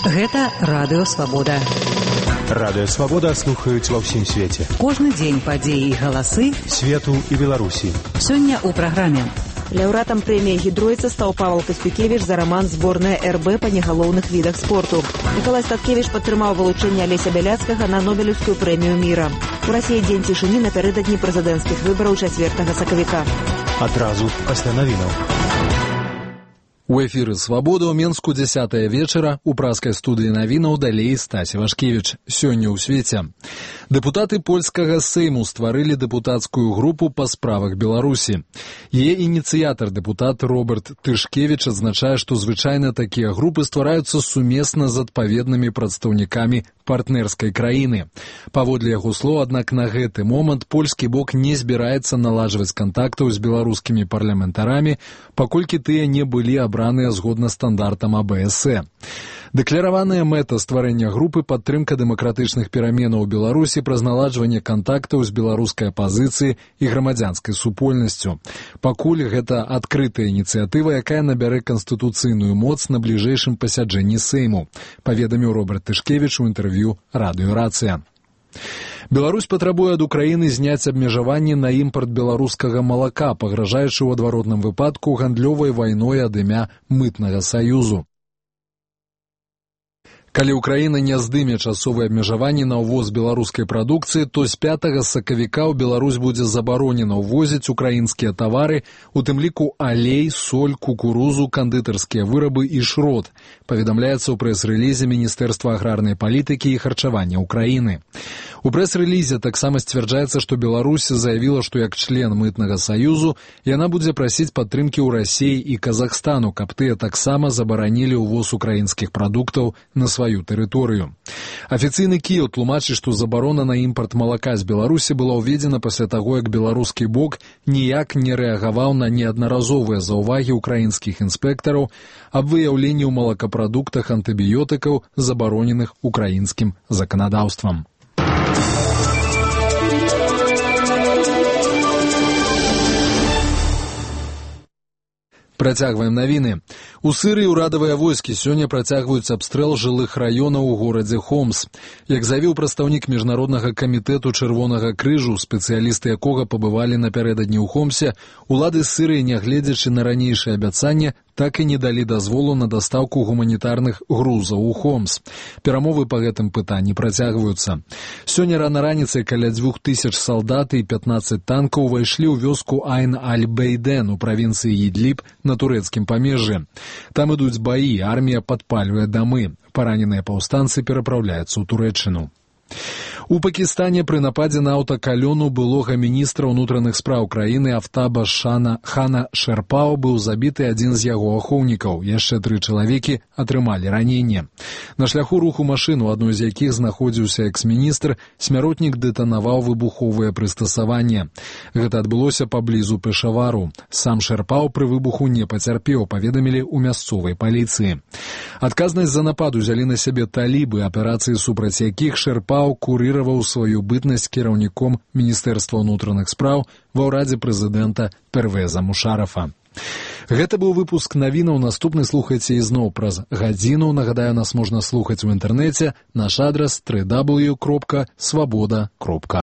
Гэта Радыё Свабода. Радыё Свабода слухаюць ва ўсім свеце. Кожны дзень падзеі і галасы свету і Беларусі. Сёння ў праграме. Лаўрэатам прэміі «Гідройца» стаў Павел Каспюкевіч за раман «Зборная РБ» па негалоўных відах спорту. Мікалай Статкевіч падтрымаў вылучэнне Алеся Бяляцкага на Нобелеўскую прэмію міра. У Расіі дзень цішыні напярэдадні прэзідэнцкіх выбараў 4 сакавіка. Адразу пасля навінаў. У эфіры «Свабода» ў Менску 10 вечара, у праскай студыі навінаў далей Стасі Вашкевіч. Сёння ў свеце. Дэпутаты польскага Сейму стварылі дэпутацкую групу па справах Беларусі. Яе ініцыятар, дэпутат Роберт Тышкевіч, адзначае, што звычайна такія групы ствараюцца сумесна з адпаведнымі прадстаўнікамі партнерскай краіны. Паводле яго слоў, аднак на гэты момант польскі бок не збіраецца наладжваць кантактаў з беларускімі парламентарамі, паколькі тыя не былі абраныя згодна стандартам АБСЭ. Дэклараваная мэта стварэння групы падтрымка дэмакратычных пераменаў у Беларусі праз наладжванне кантактаў з беларускай апазіцыяй і грамадзянскай супольнасцю. Пакуль гэта адкрытая ініцыятыва, якая набярэ канстытуцыйную моц на бліжэйшым пасяджэнні Сейму, паведаміў Роберт Тышкевіч у інтэрв'ю «Радыё Рацыя». Беларусь патрабуе ад Украіны зняць абмежаванні на імпарт беларускага малака, пагражаючы ў адваротным выпадку гандлёвай вайной ад імя мытнага саюзу. Калі Украіна не здыме часовыя абмежаванні на ўвоз беларускай прадукцыі, то з 5 сакавіка ў Беларусь будзе забаронена ўвозіць украінскія тавары, у тым ліку алей, соль, кукурузу, кандытарскія вырабы і шрот, паведамляецца ў прэс-рэлізе Міністэрства аграрнай палітыкі і харчавання Украіны. У прэс-рэлізе таксама сцвярджаецца, што Беларусь заявіла, што як член мытнага саюзу яна будзе прасіць падтрымкі ў Расіі і Казахстану, каб тыя таксама забаранілі ўвоз украінскіх прадуктаў на сваю тэрыторыю. Афіцыйны Кіеў тлумачыць, што забарона на імпарт малака з Беларусі была ўведзена пасля таго, як беларускі бок ніяк не рэагаваў на неаднаразовыя заўвагі украінскіх інспектараў аб выяўленні ў малакапрадуктах антыбіётыкаў, забароненых украінскім заканадаўствам. Працягваем навіны. У Сырыі ўрадавыя войскі сёння працягваюць абстрэл жылых раёнаў у горадзе Хомс. Як заявіў прадстаўнік Міжнароднага камітэту Чырвонага крыжу, спецыялісты якога пабывалі напярэдадні ў Хомсе, улады Сырыі, нягледзячы на ранейшае абяцанне, так і не далі дазволу на дастаўку гуманітарных грузаў у Хомс. Перамовы па гэтым пытанні працягваюцца. Сёння рана раніцай каля 2000 салдат і 15 танкаў увайшлі ў вёску Айн-Аль-Бейден у правінцыі Ідліб на турэцкім памежжы. Там ідуць баі, армія падпальвае дамы. Параненыя паўстанцы перапраўляюцца ў Турэччыну. У Пакістане пры нападзе на аўтакалёну былога міністра ўнутраных спраў краіны Афтаба Хана Шерпао быў забіты адзін з яго ахоўнікаў. Яшчэ 3 чалавекі атрымалі раненне. На шляху руху машын, у адной з якіх знаходзіўся экс-міністр, смяротнік дэтанаваў выбуховае прыстасаванне. Гэта адбылося паблізу Пешавару. Сам Шерпао пры выбуху не пацярпеў, паведамілі ў мясцовай паліцыі. Адказнасць за напад узялі на сябе талібы, аперацыі супраць якіх Шерпао курыраваў сваю бытнасць кіраўніком Міністэрства ўнутраных спраў ва ўрадзе прэзідэнта Первеза Мушарафа. Гэта быў выпуск навінаў. Наступны слухайце ізноў праз гадзіну. Нагадаю, нас можна слухаць у інтэрнэце. Наш адрас www.swaboda.org.